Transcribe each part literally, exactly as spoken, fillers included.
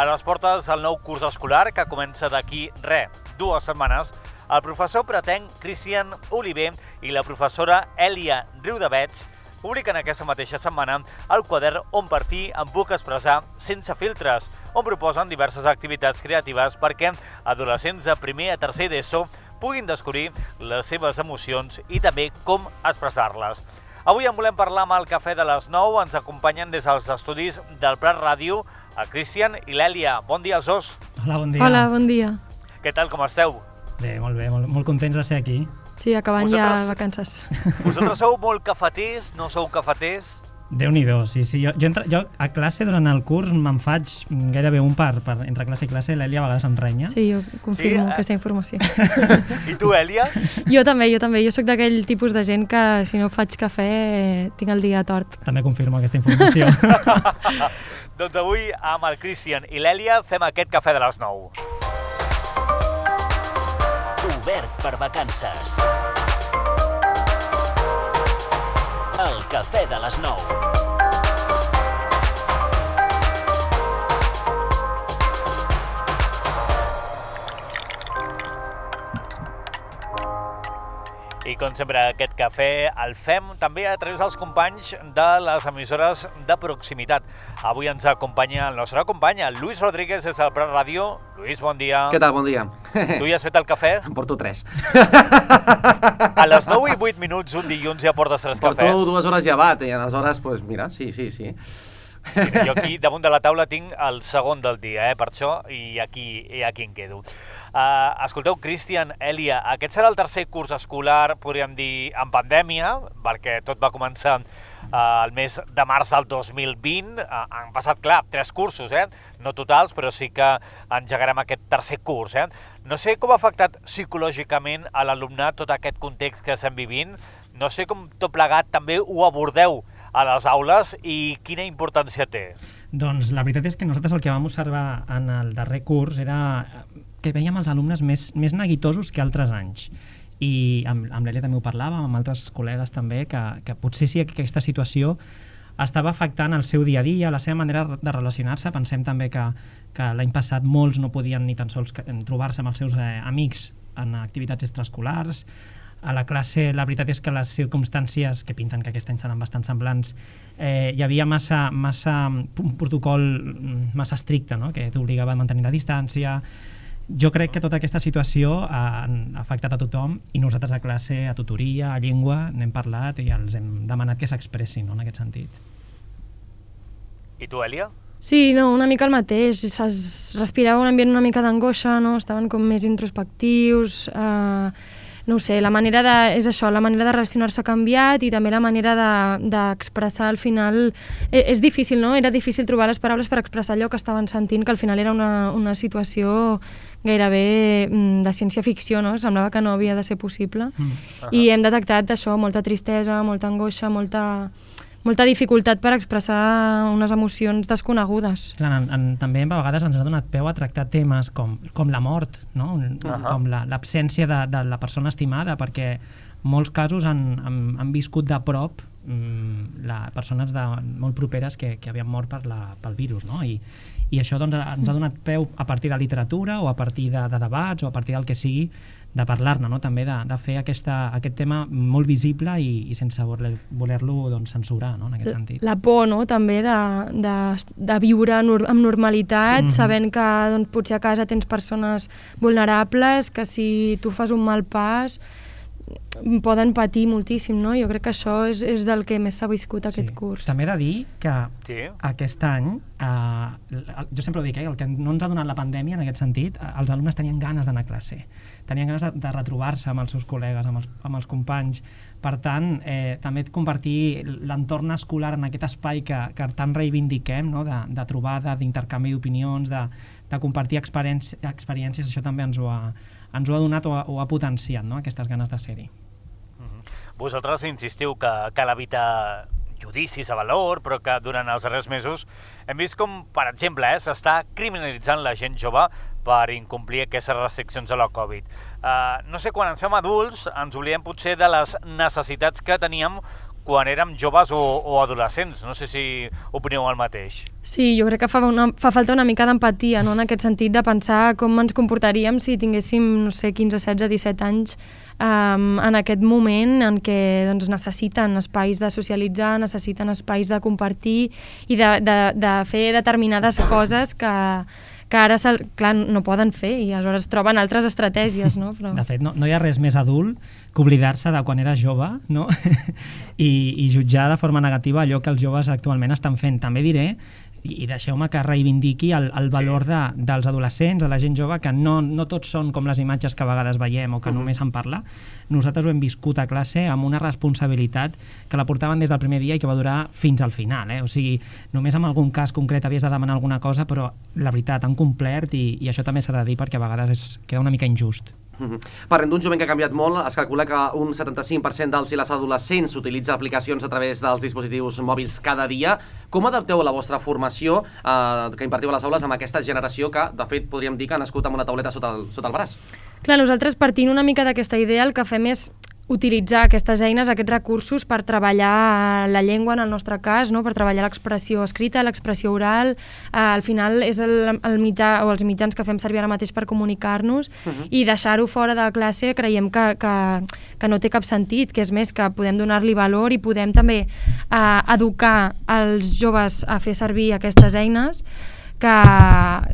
A les portes del nou curs escolar, que comença d'aquí, re, dues setmanes, el professor pretenc Cristian Oliver i la professora Èlia Riudavets publiquen aquesta mateixa setmana el quadern On per fi em puc expressar sense filtres, on proposen diverses activitats creatives perquè adolescents de primer a tercer d'ESO puguin descobrir les seves emocions i també com expressar-les. Avui en volem parlar amb el Cafè de les nou. Ens acompanyen des dels estudis del Prat Ràdio el Cristian i l'Èlia. Bon dia als dos. Hola, bon dia. Hola, bon dia. Què tal, com esteu? Bé, molt bé, molt, molt contents de ser aquí. Sí, acabant Vosaltres... ja vacances. Vosaltres sou molt cafeters, no sou cafeters? Déu-n'hi-do, sí, sí. Jo, jo, entra, jo a classe durant el curs me'n faig gairebé un par, per entre classe i classe. L'Èlia a vegades em renya. Sí, jo confirmo Sí, eh? aquesta informació. I tu, Èlia? Jo també, jo també. Jo sóc d'aquell tipus de gent que si no faig cafè eh, tinc el dia tort. També confirmo aquesta informació. Doncs avui amb el Cristian i l'Èlia fem aquest Cafè de les nou. Obert per vacances. El Cafè de les nou. I com sempre aquest cafè el fem també a través dels companys de les emissores de proximitat. Avui ens acompanya el nostre company, el Lluís Rodríguez, des del Prat Ràdio. Lluís, bon dia. Què tal? Bon dia. Tu ja has fet el cafè? En porto tres. A les nou i vuit minuts un dilluns ja portes tres Porto cafès. dues hores llevat i aleshores, pues, mira, sí, sí, sí. Mira, jo aquí damunt de la taula tinc el segon del dia, eh, per això, i aquí, i aquí em quedo. Uh, escolteu, Cristian, Èlia, aquest serà el tercer curs escolar, podríem dir, en pandèmia, perquè tot va començar uh, el mes de març del dos mil vint. Uh, han passat, clar, tres cursos, eh? No totals, però sí que engegarem aquest tercer curs. Eh? No sé com ha afectat psicològicament a l'alumnat tot aquest context que estem vivint. No sé com tot plegat també ho abordeu a les aules i quina importància té. Doncs la veritat és que nosaltres el que vam observar en el darrer curs era que veiem els alumnes més, més neguitosos que altres anys. I amb, amb l'Èlia també ho parlàvem, amb altres col·legues també, que, que potser sí que aquesta situació estava afectant el seu dia a dia, la seva manera de relacionar-se. Pensem també que, que l'any passat molts no podien ni tan sols trobar-se amb els seus eh, amics en activitats extraescolars. A la classe, la veritat és que les circumstàncies, que pinten que aquest any seran bastant semblants, eh, hi havia massa, massa un protocol massa estricte, no? Que t'obligava a mantenir la distància. Jo crec que tota aquesta situació ha afectat a tothom i nosaltres a classe, a tutoria, a llengua, n'hem parlat i els hem demanat que s'expressin, no? En aquest sentit. I tu, Èlia? Sí, no, una mica el mateix. Es respirava un ambient una mica d'angoixa, no? Estaven com més introspectius. Eh, no ho sé, la manera de... És això, la manera de relacionar-se ha canviat i també la manera d'expressar de, al final... Eh, és difícil, no? Era difícil trobar les paraules per expressar allò que estaven sentint, que al final era una, una situació gairebé de ciència-ficció, no? Semblava que no havia de ser possible. Mm. Uh-huh. I hem detectat això, molta tristesa, molta angoixa, molta... molta dificultat per expressar unes emocions desconegudes. Clar, en, en, també a vegades ens ha donat peu a tractar temes com, com la mort, no? Uh-huh. Com l'absència la, de, de la persona estimada, perquè molts casos han, han, han viscut de prop mm, la, persones de, molt properes que, que havien mort per la, pel virus, no? I, i això doncs, ens ha donat peu a partir de literatura o a partir de, de debats o a partir del que sigui, de parlar-ne, no? També de, de fer aquesta, aquest tema molt visible i, i sense voler-lo voler doncs, censurar, no? En aquest sentit. La por, no? També de, de, de viure nor amb normalitat, mm-hmm. sabent que doncs, potser a casa tens persones vulnerables, que si tu fas un mal pas poden patir moltíssim, no? Jo crec que això és, és del que més s'ha viscut aquest sí. curs. També he de dir que sí. aquest any, eh, jo sempre ho dic, eh, el que no ens ha donat la pandèmia en aquest sentit, eh, els alumnes tenien ganes d'anar a classe, tenien ganes de, de retrobar-se amb els seus col·legues, amb els, amb els companys. Per tant, eh, també convertir l'entorn escolar en aquest espai que, que tant reivindiquem, no? de, de trobada, d'intercanvi d'opinions, de, de compartir experiències, experiències, això també ens ho ha, ens ho ha donat o ha, o ha potenciat, no? Aquestes ganes de ser-hi. Mm-hmm. Vosaltres insistiu que cal evitar judicis a valor, però que durant els darrers mesos hem vist com, per exemple, eh, s'està criminalitzant la gent jove per incomplir aquestes restriccions de la Covid. Uh, no sé, quan ens fem adults ens oblidem potser de les necessitats que teníem quan érem joves o, o adolescents. No sé si opineu el mateix. Sí, jo crec que fa, una, fa falta una mica d'empatia, no? En aquest sentit de pensar com ens comportaríem si tinguéssim, no sé, quinze, setze, disset anys um, en aquest moment en què doncs, necessiten espais de socialitzar, necessiten espais de compartir i de, de, de fer determinades coses que, que ara, clar, no poden fer i aleshores troben altres estratègies, no? Però... De fet, no, no hi ha res més adult que oblidar-se de quan era jove, no? I, i jutjar de forma negativa allò que els joves actualment estan fent. També diré, i deixeu-me que reivindiqui el, el valor sí. de, dels adolescents, de la gent jove, que no, no tots són com les imatges que a vegades veiem o que uh -huh. només en parla. Nosaltres ho hem viscut a classe amb una responsabilitat que la portaven des del primer dia i que va durar fins al final. Eh? O sigui, només en algun cas concret havies de demanar alguna cosa, però la veritat, han complert i, i això també s'ha de dir perquè a vegades és, queda una mica injust. Uh-huh. Parlem d'un jovent que ha canviat molt. Es calcula que un setanta-cinc per cent dels i les adolescents utilitza aplicacions a través dels dispositius mòbils cada dia. Com adapteu la vostra formació eh, que impartiu a les aules amb aquesta generació que, de fet, podríem dir que ha nascut amb una tauleta sota el, sota el braç? Clar, nosaltres partint una mica d'aquesta idea el que fem és utilitzar aquestes eines, aquests recursos per treballar la llengua en el nostre cas, no? Per treballar l'expressió escrita, l'expressió oral, eh, al final és el, el mitjà o els mitjans que fem servir ara mateix per comunicar-nos uh-huh. i deixar-ho fora de la classe creiem que, que, que no té cap sentit, que és més que podem donar-li valor i podem també eh, educar els joves a fer servir aquestes eines que,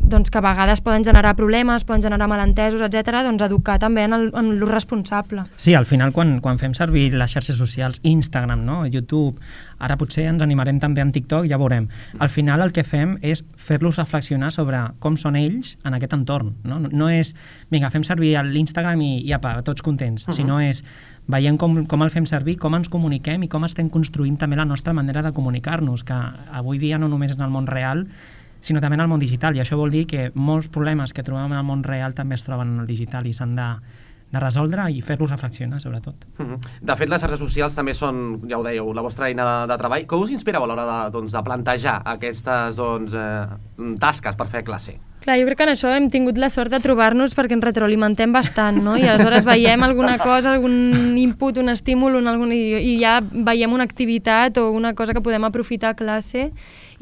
doncs, que a vegades poden generar problemes, poden generar malentesos, etcètera, doncs educar també en, el, en l'ús responsable. Sí, al final quan, quan fem servir les xarxes socials, Instagram, no? YouTube, ara potser ens animarem també en TikTok, ja veurem. Al final el que fem és fer-los reflexionar sobre com són ells en aquest entorn. No, no, no és, vinga, fem servir l'Instagram i, i apa, tots contents, uh-huh. sinó és veiem com, com el fem servir, com ens comuniquem i com estem construint també la nostra manera de comunicar-nos, que avui dia no només és en el món real, sinó també en el món digital, i això vol dir que molts problemes que trobem en el món real també es troben en el digital i s'han de, de resoldre i fer-los reflexionar, sobretot. Uh-huh. De fet, les xarxes socials també són, ja ho dèieu, la vostra eina de, de treball. Com us inspireu a l'hora de, doncs, de plantejar aquestes doncs, eh, tasques per fer classe? Clar, jo crec que en això hem tingut la sort de trobar-nos perquè ens retroalimentem bastant, no? I aleshores veiem alguna cosa, algun input, un estímul, un, algun, i, i ja veiem una activitat o una cosa que podem aprofitar a classe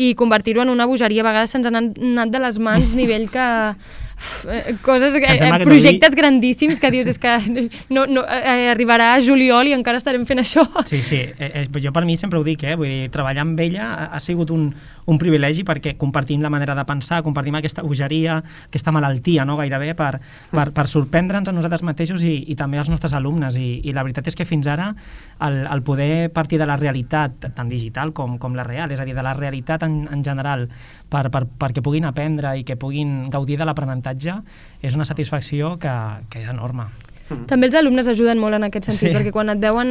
i convertir-ho en una bogeria. A vegades se'ns han anat de les mans nivell que... Uf, coses, eh, projectes dir... grandíssims que dius és que no, no, eh, arribarà a juliol i encara estarem fent això. Sí, sí, eh, jo per mi sempre ho dic, eh? Vull dir, treballar amb ella ha, ha sigut un, un privilegi perquè compartim la manera de pensar, compartim aquesta bogeria, aquesta malaltia, no? Gairebé per, per, per sorprendre'ns a nosaltres mateixos i, i també als nostres alumnes i, i la veritat és que fins ara el, el poder partir de la realitat tant digital com, com la real, és a dir, de la realitat en, en general per, per, perquè puguin aprendre i que puguin gaudir de l'aprenentatge és una satisfacció que, que és enorme. També els alumnes ajuden molt en aquest sentit, sí. perquè quan et veuen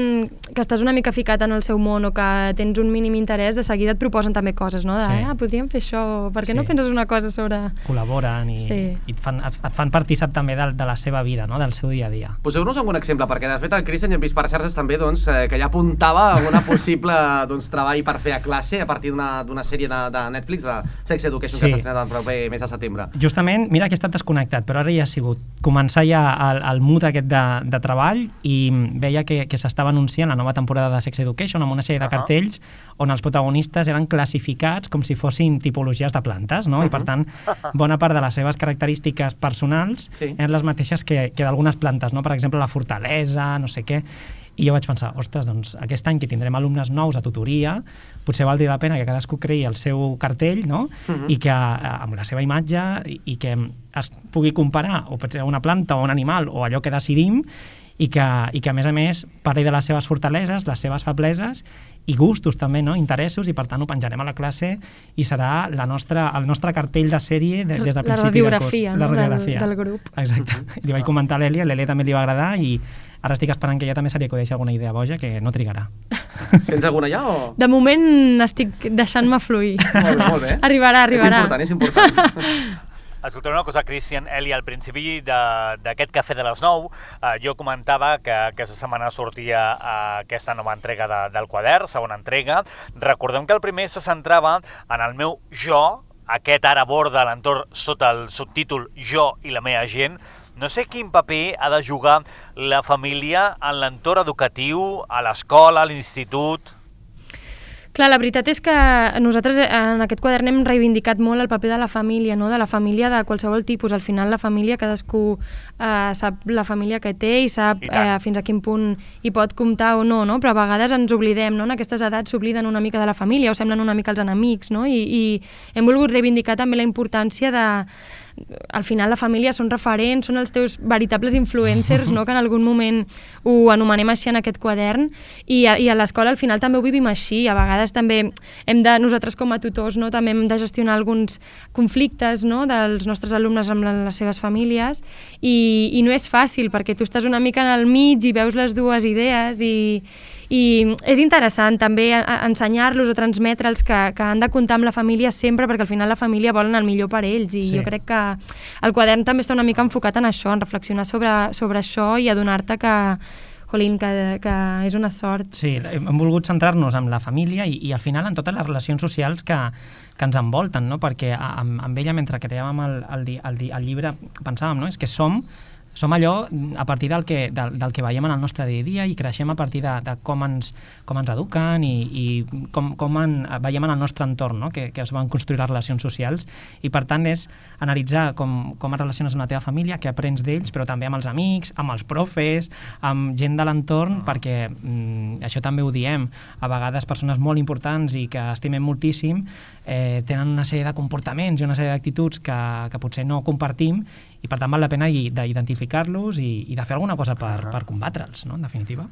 que estàs una mica ficat en el seu món o que tens un mínim interès, de seguida et proposen també coses, no? De, sí. ah, podríem fer això, per què sí. no penses una cosa sobre... Col·laboren i, sí. i et, fan, et, et fan partícip també de, de la seva vida, no? Del seu dia a dia. Poseu-nos algun exemple, perquè de fet el Cristian ja hem vist per xarxes també doncs, eh, que ja apuntava a una possible doncs, treball per fer a classe a partir d'una sèrie de, de Netflix, de Sex Education, sí. que s'ha estrenat el proper mes de setembre. Justament, mira que he estat desconnectat, però ara ja ha sigut començar ja el, el mood aquest de, de treball i veia que, que s'estava anunciant la nova temporada de Sex Education amb una sèrie de uh-huh. cartells on els protagonistes eren classificats com si fossin tipologies de plantes, no? Uh-huh. I per tant, bona part de les seves característiques personals sí. eren les mateixes que, que d'algunes plantes, no? Per exemple, la fortalesa, no sé què. I jo vaig pensar, ostres, doncs aquest any que tindrem alumnes nous a tutoria, potser valdria la pena que cadascú creï el seu cartell, no? Uh-huh. I que amb la seva imatge i, i que es pugui comparar o potser una planta o un animal o allò que decidim i que, i que a més a més parli de les seves fortaleses, les seves febleses i gustos també, no? Interessos, i per tant ho penjarem a la classe i serà la nostra, el nostre cartell de sèrie de, des del principi de curs. No? La radiografia del, del grup. Exacte. Li vaig comentar a l'Èlia, a l'Èlia també li va agradar i ara estic esperant que ella també se li acudeixi alguna idea boja que no trigarà. Tens alguna ja o...? De moment estic deixant-me fluir. Molt bé, molt bé. Arribarà, arribarà. És important, és important. Escolteu una cosa, Cristian, Eli, al principi d'aquest Cafè de les nou, eh, jo comentava que aquesta setmana sortia eh, aquesta nova entrega de, del quadern, segona entrega. Recordem que el primer se centrava en el meu jo, aquest ara aborda l'entorn sota el subtítol Jo i la meva gent. No sé quin paper ha de jugar la família en l'entorn educatiu, a l'escola, a l'institut... Clar, la veritat és que nosaltres en aquest quadern hem reivindicat molt el paper de la família, no? De la família de qualsevol tipus. Al final la família, cadascú eh, sap la família que té i sap eh, fins a quin punt hi pot comptar o no, no? Però a vegades ens oblidem, no? En aquestes edats s'obliden una mica de la família o semblen una mica els enemics, no? I, i hem volgut reivindicar també la importància de... Al final la família són referents, són els teus veritables influencers, no? Que en algun moment ho anomenem així en aquest quadern, i a, i a l'escola al final també ho vivim així. A vegades també hem de, nosaltres com a tutors, no? També hem de gestionar alguns conflictes, no? Dels nostres alumnes amb les seves famílies, i, i no és fàcil perquè tu estàs una mica en el mig i veus les dues idees i, i és interessant també ensenyar-los o transmetre'ls que, que han de comptar amb la família sempre, perquè al final la família volen el millor per ells, i sí. Jo crec que el quadern també està una mica enfocat en això, en reflexionar sobre, sobre això i adonar-te que, jolín, que, que és una sort. Sí, hem volgut centrar-nos en la família i, i al final en totes les relacions socials que, que ens envolten, no? Perquè amb, amb ella, mentre creàvem el, el, el, el llibre, pensàvem, no? És que som Som allò a partir del que, del, del que veiem en el nostre dia a dia i creixem a partir de, de com, ens, com ens eduquen i, i com, com en, veiem en el nostre entorn, no? que, que es van construir les relacions socials, i per tant és analitzar com, com et relaciones amb la teva família, què aprens d'ells, però també amb els amics, amb els profes, amb gent de l'entorn, perquè mm, això també ho diem, a vegades persones molt importants i que estimem moltíssim eh, tenen una sèrie de comportaments i una sèrie d'actituds que, que potser no compartim, i per tant val la pena d'identificar-los i, i de fer alguna cosa per, per combatre'ls, no? En definitiva.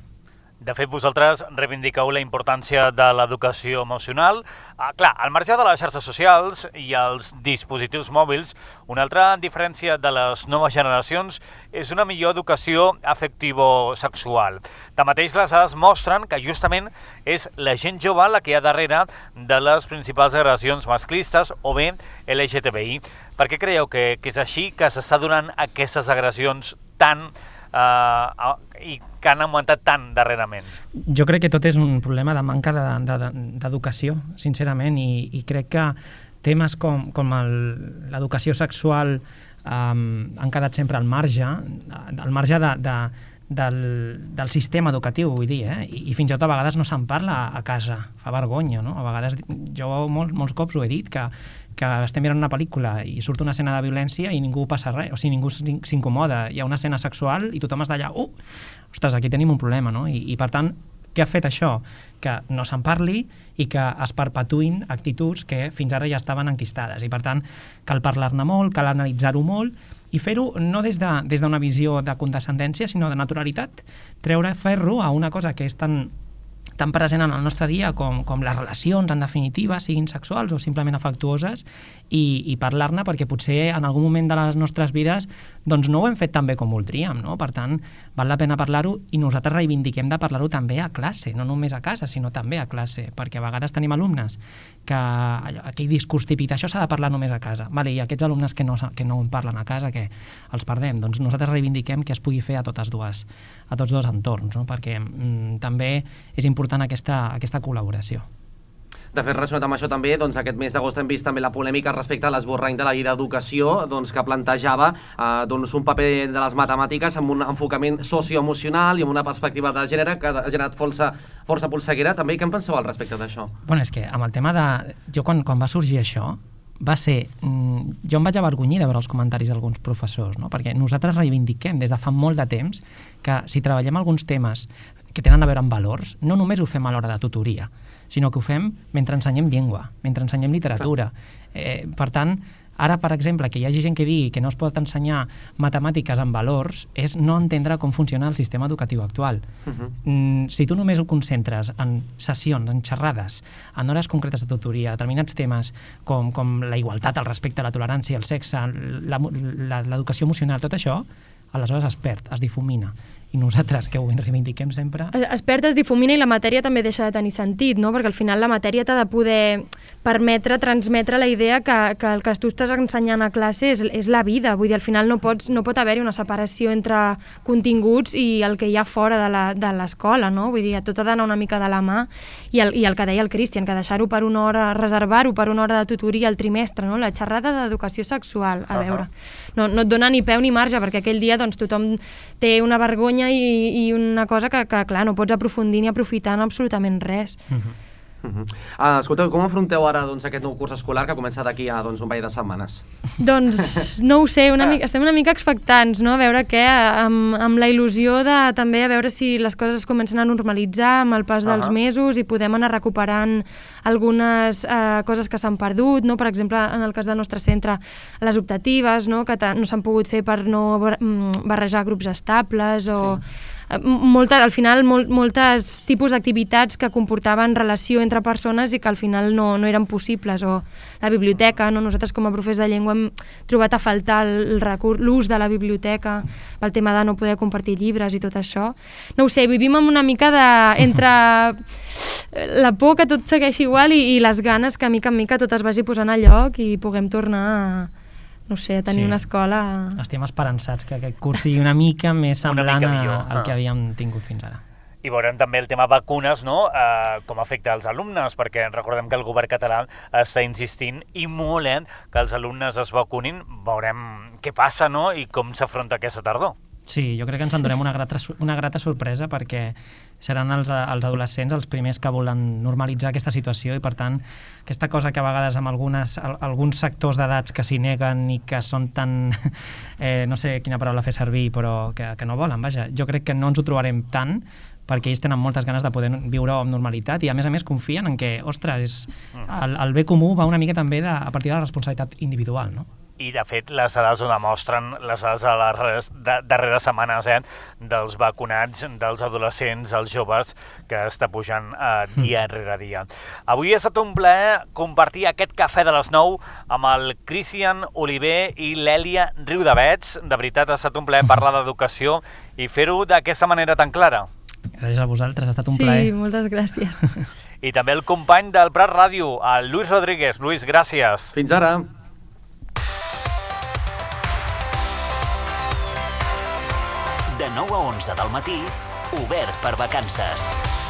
De fet, vosaltres reivindiqueu la importància de l'educació emocional. Ah, clar, al marge de les xarxes socials i els dispositius mòbils, una altra diferència de les noves generacions és una millor educació afectivo-sexual. Tanmateix, les dades mostren que justament és la gent jove la que hi ha darrere de les principals agressions masclistes o bé L G T B I. Per què creieu que, que és així, que s'està donant aquestes agressions tan eh, i que han augmentat tant darrerament? Jo crec que tot és un problema de manca d'educació, de, de, sincerament, i, i crec que temes com, com l'educació sexual um, han quedat sempre al marge, al marge de, de, del, del sistema educatiu, vull dir, eh? I, i fins i tot a vegades no se'n parla a casa, fa vergonya, no? A vegades, jo molt, molts cops ho he dit, que que estem mirant una pel·lícula i surt una escena de violència i ningú passa res, o sigui, ningú s'incomoda, hi ha una escena sexual i tothom està allà, uh, ostres, aquí tenim un problema, no? I, i per tant, què ha fet això? Que no se'n parli i que es perpetuïn actituds que fins ara ja estaven enquistades, i per tant cal parlar-ne molt, cal analitzar-ho molt i fer-ho no des de, des d'una visió de condescendència, sinó de naturalitat, treure ferro a una cosa que és tan tan present en el nostre dia com, com les relacions, en definitiva, siguin sexuals o simplement afectuoses, i, i parlar-ne, perquè potser en algun moment de les nostres vides doncs no ho hem fet tan bé com voldríem, no? Per tant, val la pena parlar-ho, i nosaltres reivindiquem de parlar-ho també a classe, no només a casa, sinó també a classe, perquè a vegades tenim alumnes que aquell discurs típic, això s'ha de parlar només a casa, vale, i aquests alumnes que no, que no en parlen a casa, que els perdem, doncs nosaltres reivindiquem que es pugui fer a totes dues, a tots dos entorns, no? Perquè mm, també és important aquesta, aquesta col·laboració. De fet, relacionat amb això també, doncs, aquest mes d'agost hem vist també la polèmica respecte a l'esborrany de la llei d'educació, doncs, que plantejava eh, doncs, un paper de les matemàtiques amb un enfocament socioemocional i amb una perspectiva de gènere que ha generat força, força polseguera. També, què en penseu al respecte d'això? Bueno, és que amb el tema de... Jo quan, quan va sorgir això, va ser... Jo em vaig avergonyir de veure els comentaris d'alguns professors, no? Perquè nosaltres reivindiquem des de fa molt de temps que si treballem alguns temes que tenen a veure amb valors, no només ho fem a l'hora de tutoria, sinó que ho fem mentre ensenyem llengua, mentre ensenyem literatura. Eh, per tant, ara, per exemple, que hi hagi gent que digui que no es pot ensenyar matemàtiques amb valors és no entendre com funciona el sistema educatiu actual. Uh-huh. mm, si tu només ho concentres en sessions, en xerrades, en hores concretes de tutoria, determinats temes com, com la igualtat, el respecte, la tolerància, el sexe, l'educació emocional, tot això, aleshores es perd, es difumina. I nosaltres, que ho reivindiquem sempre... Es perd, es difumina, i la matèria també deixa de tenir sentit, no? Perquè al final la matèria t'ha de poder permetre transmetre la idea que, que el que tu estàs ensenyant a classe és, és la vida. Vull dir, al final no, pots, no pot haver-hi una separació entre continguts i el que hi ha fora de l'escola, no? Vull dir, tot ha d'anar una mica de la mà, i el, i el que deia el Cristian, que deixar-ho per una hora, reservar-ho per una hora de tutoria al trimestre, no? La xerrada d'educació sexual, a veure, no, no et dona ni peu ni marge, perquè aquell dia doncs, tothom té una vergonya i, i una cosa que, que, clar, no pots aprofundir ni aprofitar en absolutament res. Uh-huh. Uh -huh. uh, escolteu, com afronteu ara doncs, aquest nou curs escolar que comença d'aquí a doncs, un parell de setmanes? Doncs no ho sé, una mica, estem una mica expectants, no? A veure què, amb, amb la il·lusió de també a veure si les coses es comencen a normalitzar amb el pas dels uh -huh. mesos i podem anar recuperant algunes eh, coses que s'han perdut, no? Per exemple, en el cas del nostre centre, les optatives, no? Que no s'han pogut fer per no barrejar grups estables o... Sí. Molta, al final mol, moltes tipus d'activitats que comportaven relació entre persones i que al final no, no eren possibles, o la biblioteca, no? Nosaltres com a professors de llengua hem trobat a faltar el recurs, l'ús de la biblioteca pel tema de no poder compartir llibres i tot això. No ho sé, vivim amb una mica de, entre la por que tot segueixi igual i, i les ganes que mica en mica tot es vagi posant a lloc i puguem tornar a no sé, a tenir sí. una escola... Estem esperançats que aquest curs sigui una mica més semblant mica al que havíem tingut fins ara. I veurem també el tema vacunes, no? Eh, com afecta als alumnes, perquè recordem que el govern català està insistint i molt eh, que els alumnes es vacunin. Veurem què passa, no? I com s'afronta aquesta tardor. Sí, jo crec que ens endurem una grata, una grata sorpresa perquè seran els, els adolescents els primers que volen normalitzar aquesta situació i, per tant, aquesta cosa que a vegades amb algunes, alguns sectors d'edats que s'hi neguen i que són tan... Eh, no sé quina paraula fer servir, però que, que no volen, vaja. Jo crec que no ens ho trobarem tant perquè ells tenen moltes ganes de poder viure amb normalitat i, a més a més, confien en que, ostres, el, el bé comú va una mica també de, a partir de la responsabilitat individual, no? I, de fet, les dades ho demostren, les dades de les darreres setmanes eh, dels vacunats, dels adolescents, els joves, que està pujant eh, dia rere dia. Avui ha estat un plaer compartir aquest cafè de les nou amb el Cristian Oliver i l'Èlia Riudavets. De veritat, ha estat un plaer parlar d'educació i fer-ho d'aquesta manera tan clara. Gràcies a vosaltres, ha estat un sí, plaer. Sí, moltes gràcies. I també el company del Prat Ràdio, el Lluís Rodríguez. Lluís, gràcies. Fins ara. De nou a onze del matí, Obert per Vacances.